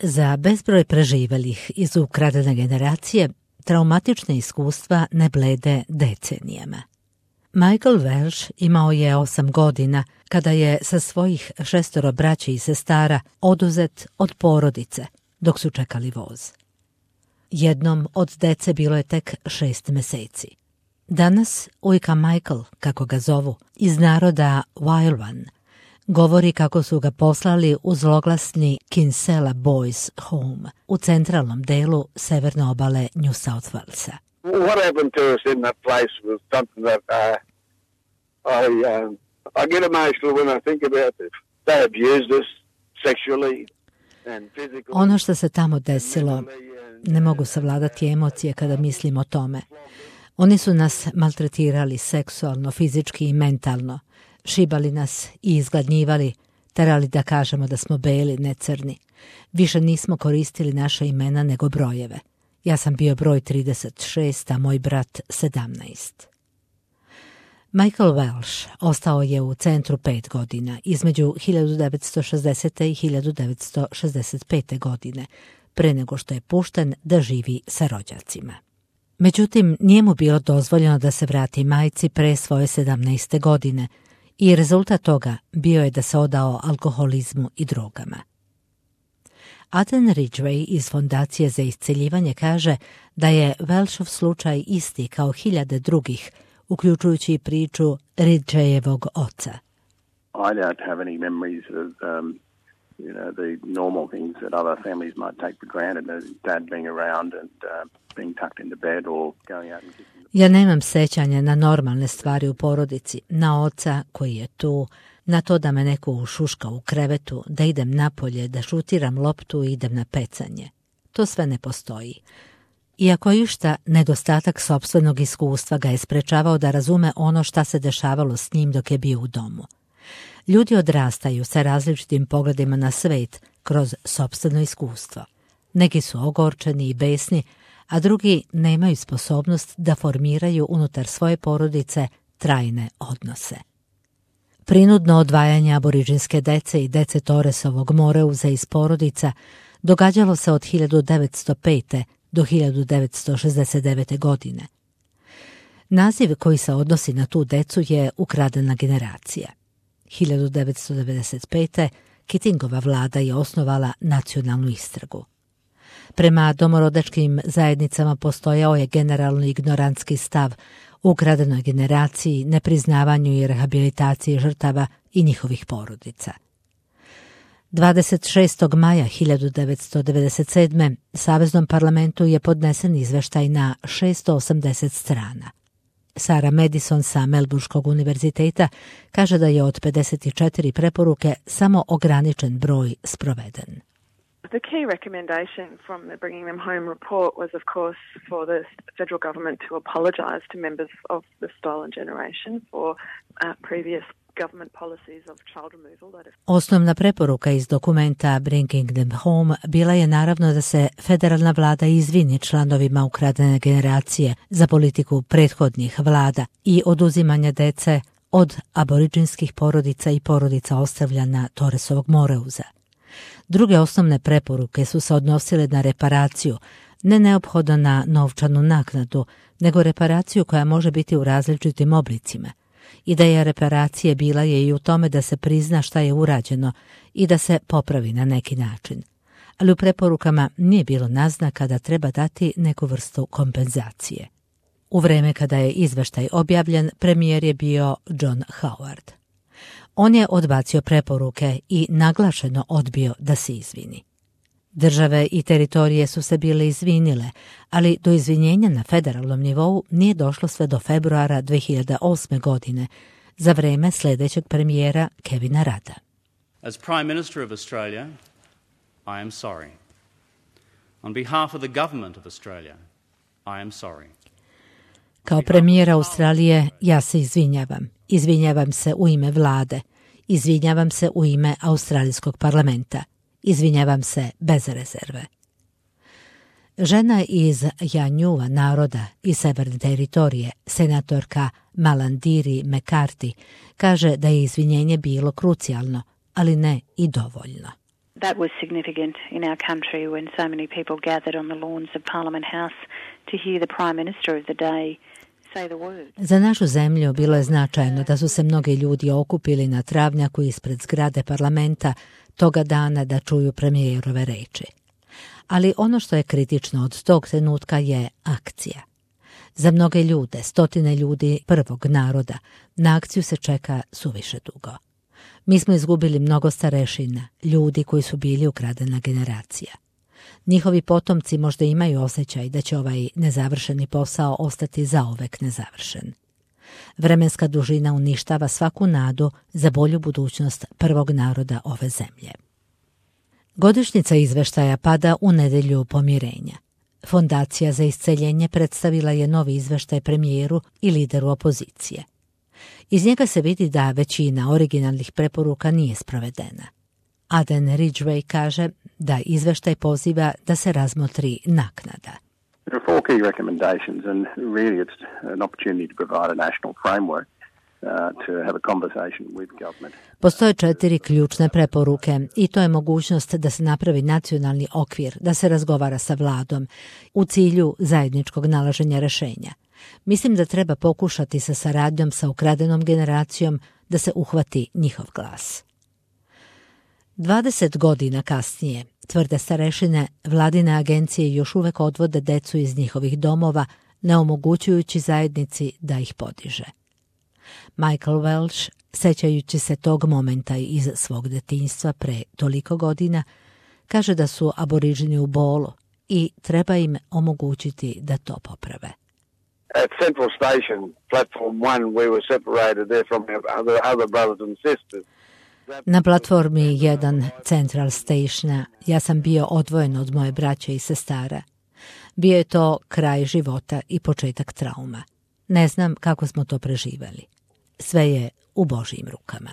Za bezbroj preživelih iz ukradene generacije, traumatične iskustva ne blede decenijama. Michael Welsh imao je 8 godina kada je sa svojih 6 braće i sestara oduzet od porodice dok su čekali voz. Jednom od dece bilo je tek 6 meseci. Danas ujka Michael, kako ga zovu, iz naroda Wailwan, govori kako su ga poslali u zloglasni Kinsella Boys Home u centralnom delu severne obale New South Walesa. What happened to us in that place was something that I get emotional when I think about it. They abused us sexually and physically. Ono što se tamo desilo, ne mogu savladati emocije kada mislim o tome. Oni su nas maltretirali seksualno, fizički i mentalno, šibali nas i izgladnjivali, terali da kažemo da smo beli, ne crni. Više nismo koristili naše imena nego brojeve. Ja sam bio broj 36, a moj brat 17. Michael Welsh ostao je u centru 5 godina, između 1960. i 1965. godine, pre nego što je pušten da živi sa rođacima. Međutim, nije mu bilo dozvoljeno da se vrati majci pre svoje 17. godine i rezultat toga bio je da se odao alkoholizmu i drogama. Aden Ridgway iz Fondacije za isceljivanje kaže da je Welshov slučaj isti kao hiljade drugih, uključujući i priču Ridgwayevog oca. I don't have any memories of the normal things that other families might take for granted, as dad being around and being tucked into bed or going out and kissing. Ja nemam sećanja na normalne stvari u porodici, na oca koji je tu, na to da me neko ušuška u krevetu, da idem napolje, da šutiram loptu i idem na pecanje. To sve ne postoji. Iako je išta, nedostatak sopstvenog iskustva ga je sprečavao da razume ono šta se dešavalo s njim dok je bio u domu. Ljudi odrastaju sa različitim pogledima na svet kroz sopstveno iskustvo. Neki su ogorčeni i besni, a drugi nemaju sposobnost da formiraju unutar svoje porodice trajne odnose. Prinudno odvajanje aboriđinske dece i dece Torresovog Moreuza iz porodica događalo se od 1905. do 1969. godine. Naziv koji se odnosi na tu decu je ukradena generacija. 1995. Keatingova vlada je osnovala nacionalnu istragu. Prema domorodačkim zajednicama postojao je generalno ignorantski stav u ukradenoj generaciji, nepriznavanju i rehabilitaciji žrtava i njihovih porodica. 26. maja 1997. Saveznom parlamentu je podnesen izveštaj na 680 strana. Sarah Madison sa Melbourneškog univerziteta kaže da je od 54 preporuke samo ograničen broj sproveden. The key recommendation from the Bringing Them Home report was, of course, for the federal government to apologise to members of the stolen generation for previous government policies of child removal. Osnovna preporuka iz dokumenta Bringing Them Home bila je naravno da se federalna vlada izvini članovima ukradene generacije za politiku prethodnih vlada i oduzimanja dece od aboriđinskih porodica i porodica ostavljana Torresovog Moreuza. Druge osnovne preporuke su se odnosile na reparaciju, ne neophodno na novčanu naknadu, nego reparaciju koja može biti u različitim oblicima. Ideja reparacije bila je i u tome da se prizna šta je urađeno i da se popravi na neki način. Ali u preporukama nije bilo naznaka da treba dati neku vrstu kompenzacije. U vreme kada je izveštaj objavljen, premijer je bio John Howard. On je odbacio preporuke i naglašeno odbio da se izvini. Države i teritorije su se bile izvinile, ali do izvinjenja na federalnom nivou nije došlo sve do februara 2008. godine, za vreme sljedećeg premijera Kevina Rudda. As Prime Minister of Australia, I am sorry. On behalf of the government of Australia, I am sorry. Kao premijer Australije, ja se izvinjavam. Izvinjavam se u ime vlade. Izvinjavam se u ime Australijskog parlamenta. Izvinjavam se bez rezerve. Žena iz Janjua naroda i severne teritorije, senatorka Malandiri McCarthy, kaže da je izvinjenje bilo krucijalno, ali ne i dovoljno. That was significant in our country when so many people gathered on the lawns of Parliament House to hear the Prime Minister of the day say the words. Za našu zemlju bilo je značajno da su se mnogi ljudi okupili na travnjaku ispred zgrade parlamenta toga dana da čuju premijerove reči. Ali ono što je kritično od tog trenutka je akcija. Za mnoge ljude, stotine ljudi prvog naroda, na akciju se čeka suviše dugo. Mi smo izgubili mnogo starešina, ljudi koji su bili ukradena generacija. Njihovi potomci možda imaju osjećaj da će ovaj nezavršeni posao ostati zauvek nezavršen. Vremenska dužina uništava svaku nadu za bolju budućnost prvog naroda ove zemlje. Godišnjica izveštaja pada u nedelju pomirenja. Fondacija za isceljenje predstavila je novi izveštaj premijeru i lideru opozicije. Iz njega se vidi da većina originalnih preporuka nije sprovedena. Aden Ridgway kaže da izveštaj poziva da se razmotri naknada. There are 4 key recommendations and really it's an opportunity to provide a national framework to have a conversation with government. Postoje 4 ključne preporuke i to je mogućnost da se napravi nacionalni okvir, da se razgovara sa vladom u cilju zajedničkog nalaženja rešenja. Mislim da treba pokušati sa saradnjom sa ukradenom generacijom da se uhvati njihov glas. 20 godina kasnije, tvrde starešine, vladine agencije još uvek odvode decu iz njihovih domova, ne omogućujući zajednici da ih podiže. Michael Welch, sećajući se tog momenta iz svog detinjstva pre toliko godina, kaže da su aboriđini u bolu i treba im omogućiti da to poprave. At Central Station, platform 1, we were separated there from our other brothers and sisters. Na platformi 1 Central Stationa ja sam bio odvojen od moje braće i sestara. Bio je to kraj života i početak trauma. Ne znam kako smo to preživeli. Sve je u Božjim rukama.